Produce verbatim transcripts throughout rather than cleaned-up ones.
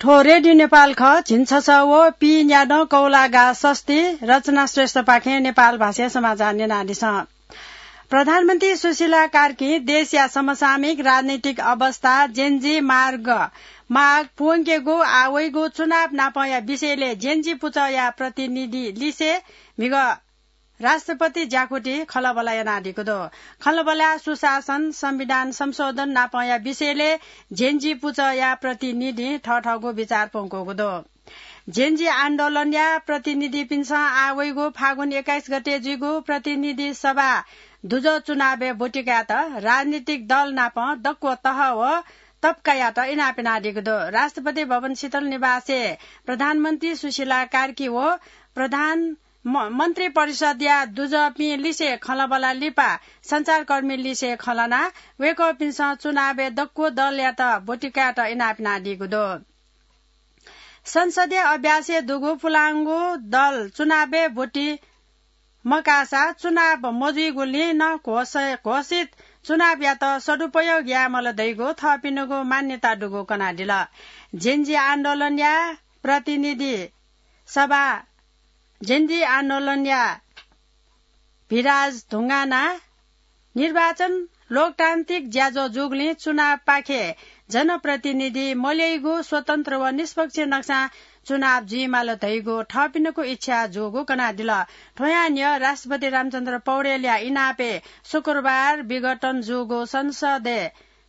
थ्व रेडियो नेपाल खः। झिंछसः व पीन्यादँ कौलागा सस्ती। रचना श्रेष्ठपाखें नेपाल भाषाया समाचार न्यनादिसँ। प्रधानमन्त्री सुशीला कार्कीं देशया समसामयिक राजनैतिक अवस्था, जेनजी मार्ग, माग, पुवंकेगु आ वइगु चुनाव नापंया विषयलय् जेनजी पुचःया प्रतिनिधि लिसे म्हिगः राष्ट्रपति ज्याकुथि खँल्हाबल्हा यानादीगु दु। खँल्हाबल्हाय् सुशासन, संविधान संशोधन नापंया विषयलय् जेनजी पुचःया प्रतिनिधिं थःथःगु विचार प्वंकूगु दु। जेनजी आन्दोलनया प्रतिनिधिपिन्सं आ वइगु फागुन एक्काइस गते जुइगु प्रतिनिधि सभा दुजः चुनावय् ब्वति कायेत राजनीतिक दल नाप दक्व तह व तबकायात इनाप यानादीगु दु। राष्ट्रपति भवन शीतल निवासय् प्रधानमन्त्री सुशीला कार्की व प्रधान म-, मन्त्री परिषदया दुजःपिं लिसे खँल्हाबल्हा लिपा सञ्चारकर्मी लिसे खँ ल्हानाः वय्कःपिन्सं चुनावय् दक्व दलयात ब्वति कायेत इनाप यानादीगु दु। संसदीय अभ्यासय् दुगु पुलांगु दल चुनावय् ब्वति मकाःसा चुनाव मजुइगुलिं नं घोष-, घोषित चुनावयात सदुपयोग यायेमाल धइगु थःपिनिगु मान्यता दुगु कनादिल। जेनजी आन्दोलनया प्रतिनिधि सभा जेनजी आन्दोलनया भिराज धुंगाना निर्वाचन लोकतान्त्रिक ज्याझ्वः जूगुलिं चुनावपाखे जनप्रतिनिधि मल्यइगु स्वतन्त्र व निष्पक्ष नक्सां चुनाव जुइमाल धइगु थःपिनिगु इच्छा जूगु कनादिल। थ्वयां न्ह्यः राष्ट्रपति रामचन्द्र पौडेलया इनापय् शुक्रबार विघटन जूगु संसदय्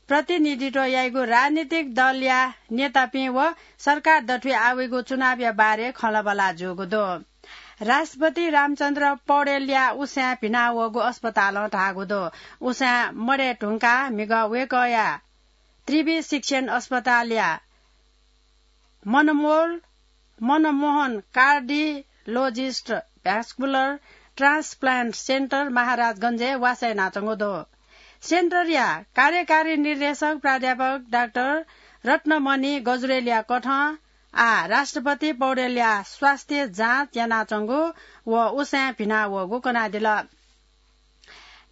प्रतिनिधित्व याइगु राजनीतिक दलया नेतापिं व सरकार दथुइ आ वइगु चुनावया बारे खँल्हाबल्हा जूगु दु। राष्ट्रपति रामचन्द्र पौडेलया उसाँय् भिना वःगु अस्पतालं धाःगु दु। उसाँय् मदये धुंकाः म्हिगः वय्कःया त्रिवि शिक्षण अस्पतालया मनमोल, Manmohan cardiologist vascular transplant centre महाराजगंजय् वासः यानाच्वंगु दु। सेन्टरया कार्यकारी निर्देशक प्राध्यापक डाक्टर रत्नमणि गजुरेलया कथं आः राष्ट्रपति पौडेलया स्वास्थ्य जाँच यानाच्वंगु व उसाँय् भिना वःगु कनादिल।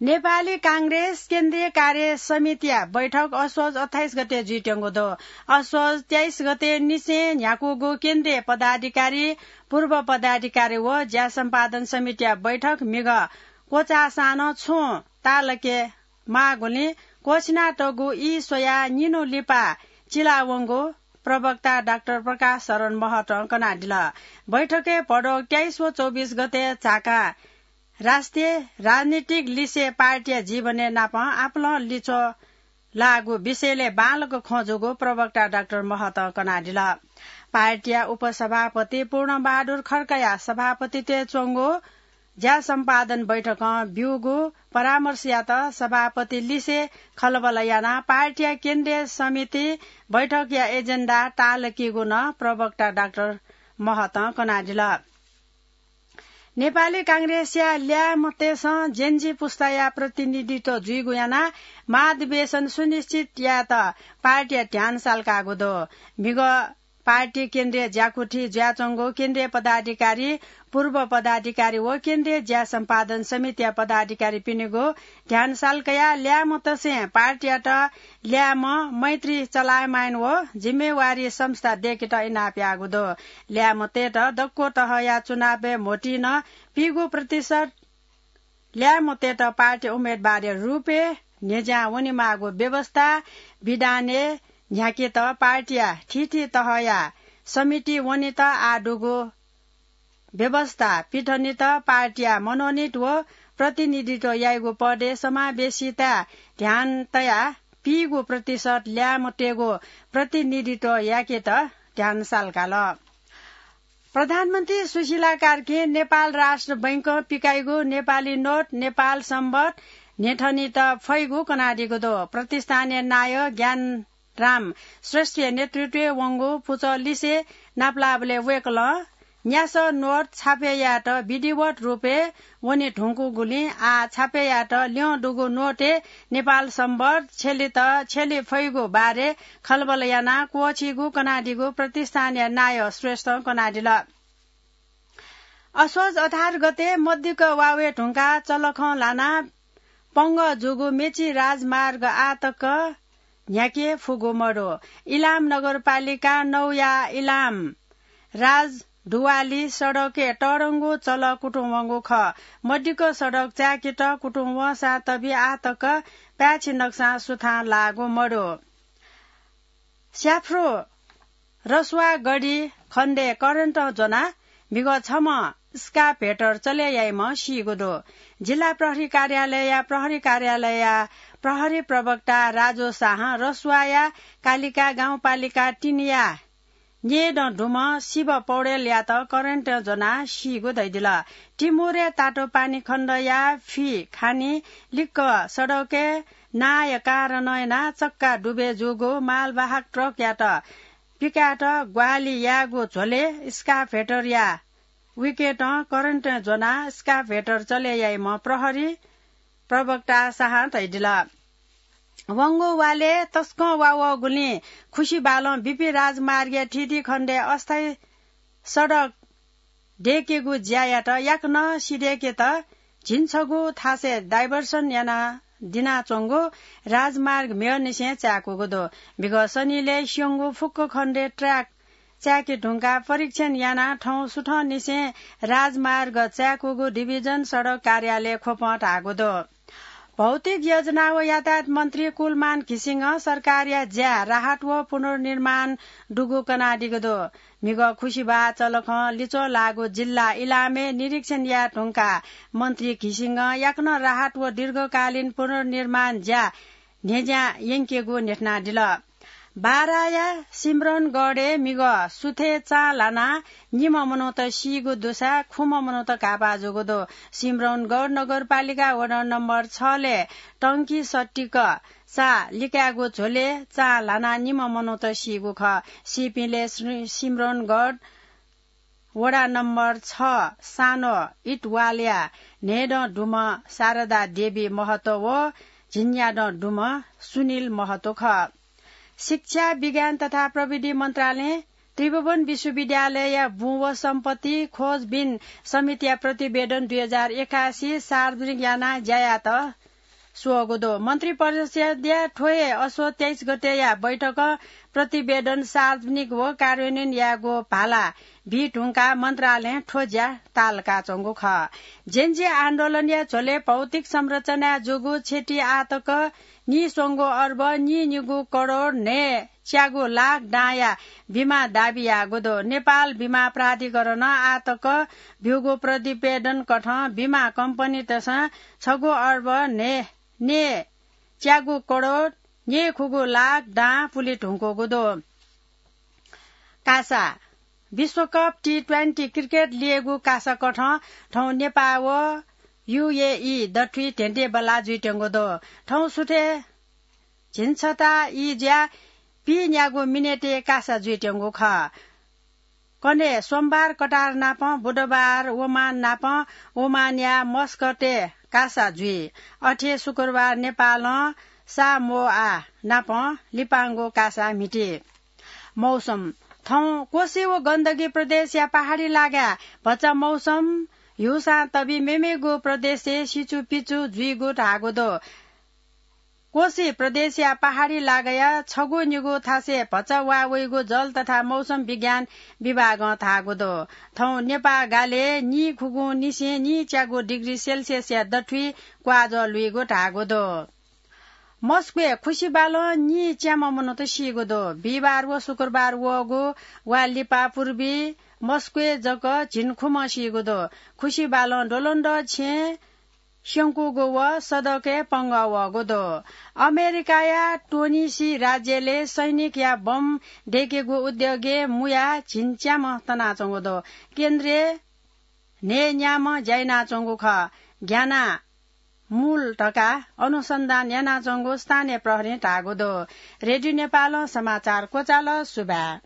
नेपाली कांग्रेस केन्द्रीय कार्य समितिया बैठक असोज अट्ठाइस गते जुइत्यंगु दु। असोज तेइस गते निसें न्ह्याकूगु केन्द्रीय पदाधिकारी, पूर्व पदाधिकारी व ज्या सम्पादन समितिया बैठक म्हिगः क्वचाःसां नं छुं ताःलाके माःगुलिं क्वःछिनातःगु ई स्वयाः निन्हु लिपा चिलावंगु प्रवक्ता डाक्टर प्रकाश शरण महतं कनादिल। बैठकय् भदौ तेइस व चौबिस गते झाकां राष्ट्रिय राजनीतिक लिसे पार्टीया जीवनय् नाप आपालं लिच्वः लाःगु विषयलय् बांलाक खँ जूगु प्रवक्ता डाक्टर महतं कनादिल। पार्टीया उपसभापति पूर्णबहादुर खड्काया सभापतित्वय् च्वंगु ज्या सम्पादन बैठकं ब्यूगु परामर्शयात सभापति लिसे खँल्हाबल्हा यानाः पार्टीया केन्द्रीय समिति बैठकया एजेन्डा ताःलाकीगु नं प्रवक्ता डाक्टर महतं कनादिल। नेपाली कांग्रेसया ल्याय्म्हतय्सं जेनजी पुस्ताया प्रतिनिधित्व जुइगु यानाः महाधिवेशन सुनिश्चित यायेत पार्टीया ध्यान साल्काःगु दु। म्हिगः पार्टी केन्द्रीय ज्याकुथि जुयाच्वंगु केन्द्रीय पदाधिकारी, पूर्व पदाधिकारी व केन्द्रीय ज्या सम्पादन समितिया पदाधिकारीपिनिगु ध्यान साल्कयाः ल्याय्म्हतय्सं पार्टीयात ल्याय्म्ह, मैत्री चलायमान व जिम्मेवारी संस्था दय्केत इनाप याःगु दु। ल्याय्म्हतय्त दक्व तहया चुनावय् म्होतिं नं पीगू प्रतिशत ल्याय्म्हतय्त पार्टी उम्मेदवारया रूपय् न्ह्यज्यां वनेमाःगु व्यवस्था विधानय् न्ह्याकेत पार्टीया थीथी तहया समिति वनेत आः दुगु व्यवस्था पिथनेत पार्टीया मनोनीत व प्रतिनिधित्व याइगु पदय् समावेशिताय् ध्यान तयाः पीगू प्रतिशत ल्याय्म्हतय्गु प्रतिनिधित्व याकेत ध्यान साल्काल। प्रधानमन्त्री सुशीला कार्कीं नेपाल राष्ट्र बैंकं पिकाइगु नेपाली नोट नेपाल संवत् न्ह्यथनेत फइगु कनादीगु दु। प्रतिष्ठानया नायः ज्ञानराम श्रेष्ठया नेतृत्वय् वंगु पुचः लिसे नापलाःबलय् वय्कलं न्यासः नोट छापय् यायेत विधिवत रूपय् वने धुंकूगुलिं आः छापय् यायेत ल्यं दुगु नोटय् नेपाल संवत् छ्यलेत छ्यले फइगु बारे खँल्हाबल्हा यानाः क्वःछीगु कनादीगु प्रतिष्ठानया नायः श्रेष्ठं कनादिल। असोज अठार गते मदिक्क वा वये धुंकाः चलखं ल्हानाः पंगः जूगु मेची राजमार्ग आः तक न्ह्याके फुगु मदु। इलाम नगरपालिका नौया इलाम राजदुवाली सडकय् तःधंगु चल कुतुं वंगु खः। मदिक्क सडक चाय्‌केत कुतुं वंसां तबि आः तक पाय्‌छि नक्सां सुथां लाःगु मदु। स्याफ्रु रसुवा गढी खण्डय् करेन्टं ज्वनाः म्हिगः छम्ह स्काभेटर चले याइम्ह सीगु दु। जिल्ला प्रहरी कार्यालयया प्रहरी कार्यालयया प्रहरी प्रवक्ता राजु शाहं रसुवाया कालिका गाउँपालिका तीनया न्येदँ दुम्ह शिव पौडेलयात करेन्टं ज्वनाः सीगु धयादिल। तिमुरे तातो पानी खण्डया फि खानी लिक्क सडकय् नाःया कारणं यानाः चक्का डुबे जूगु मालवाहक ट्रकयात पिकायेत ग्वाहालि यायेगु झ्वलय् स्काभेटरया विकेटं करेन्टं ज्वनाः स्काभेटर चले याइम्ह प्रहरी प्रवक्ता शाहं धयादिल। वंगु वालय् तसकं वा वःगुलिं खुसिबालं बीपी राजमार्गया थीथी खण्डय् अस्थायी सडक दय्‌केगु ज्यायात याकनं सिधय्‌केत झिंछगू थासय् डाइभर्सन यानादिनाच्वंगु राजमार्ग म्हिगःनिसें चाय्‌कूगु दु। म्हिगः सनिलय् स्यंगू फुक्क खण्डय् ट्र्याक चाय्‌के धुंकाः परीक्षण यानाः थौं सुथंनिसें राजमार्ग चाय्‌कूगु डिभिजन सडक कार्यालय ख्वपं धाःगु दु। भौतिक योजना व यातायात मन्त्री कुलमान घिसिङं सरकारया ज्या, राहत व पुनर्निर्माण दुगु कनादीगु दु। म्हिगः खुसिबाः चलखं लिच्वः लाःगु जिल्ला इलामय् निरीक्षण याये धुंकाः मन्त्री घिसिङं याकनं राहत व दीर्घकालीन पुनर्निर्माण ज्या न्ह्यज्यां यंकेगु न्ह्यथनादिल। बाराया सिम्रौनगढय् म्हिगः सुथय् चां ल्हानाः निम्ह मनूत सीगु दुसा खुम्ह मनूत घाःपाः जूगु दु। सिम्रौनगढ नगरपालिका वडा नम्बर छलय् टंकी सट्टिक चां लिकायेगु झ्वलय् चां ल्हानाः निम्ह मनूत सीगु खः। सीपिंलय् सि-, सिम्रौनगढ वडा नम्बर छ सानो इटवालया न्हय्दँ दुम्ह शारदा देवी महतो व झिंन्यादँ दुम्ह सुनिल महतो खः। शिक्षा, विज्ञान तथा प्रविधि मन्त्रालयं त्रिभुवन विश्वविद्यालयया बुँ व सम्पत्ति खोजबिन समितिया प्रतिवेदन दुई हजार एकासी सार्वजनिक यानाः ज्या यायेत स्वःगु दु। मन्त्रिपरिषद्या थ्व हे असोज तेइस गतेया बैठकं प्रतिवेदन सार्वजनिक व कार्यान्वयन यायेगु भाला बी धुंकाः मन्त्रालयं थ्व ज्या ताःलाकाच्वंगु खः। जेन्जी आन्दोलनया झ्वलय् भौतिक संरचनाय् जूगु क्षति आः तक नीस्वंगू अर्ब नीनिगू करोड न्हय्च्यागू लाख दांया बिमा दाबी याःगु दु। नेपाल बिमा प्राधिकरणं आः तक ब्यूगु प्रतिवेदन कथं बिमा कम्पनीतय्सं छगू अर्ब न्हय् न्हय्च्यागू करोड न्हय्खुगू लाख दां पुले धुंकूगु दु। कासा। विश्वकप टी ट्वेन्टी क्रिकेट लिगय् कासा कथं थौं नेपाः व युएई दथुइ धेंधेंबल्लाः जुइत्यंगु दु। थौं सुथय् झिंछता ई ज्या पीन्यागू मिनेटय् कासा जुइत्यंगु खः। कन्हय् सोमबार कतार नापं, बुधबार ओमान नापं, ओमानया मस्कतय् कासा जुइ। अथे शुक्रबार नेपालं सामोआ नापं लिपांगु कासा म्हिती। मौसम। थौं कोशी व गण्डकी प्रदेशया पहाडी लागाय् भचा मौसम ह्यूसां तबि मेमेगु प्रदेशय् सिचुपिचु जुइगु धाःगु दु। कोशी प्रदेशया पहाडी लागाया छगू निगू थासय् भचा वा वइगु जल तथा मौसम विज्ञान विभागं धाःगु दु। थौं नेपाः गालय् नीखुगुं निसें नीच्यागू डिग्री सेल्सियसया दथुइ क्वाःजः लुइगु धाःगु दु। मस्कोय् खुसिबालं नीच्याम्ह मनूत सीगु दु। बिहिबार व शुक्रबार वःगु वा लिपा पूर्वी मस्कोय् जक झिंखुम्ह सीगु दु। खुसिबालं द्वलंद्वः छेँ स्यंकूगु व सडकय् पंगः वःगु दु। अमेरिकाया टोनिसी राज्यलय् सैनिकया बम दय्केगु उद्योगय् मुयाः झिंच्याम्ह तनाच्वंगु दु। केन्द्रय् न्हय्न्याम्ह ज्या यानाच्वंगु खः। ग्यानाः मूल धकाः अनुसन्धान यानाच्वंगु स्थानीय प्रहरीं धाःगु दु। रेडियो नेपालं समाचार क्वचाल। सुभाय्।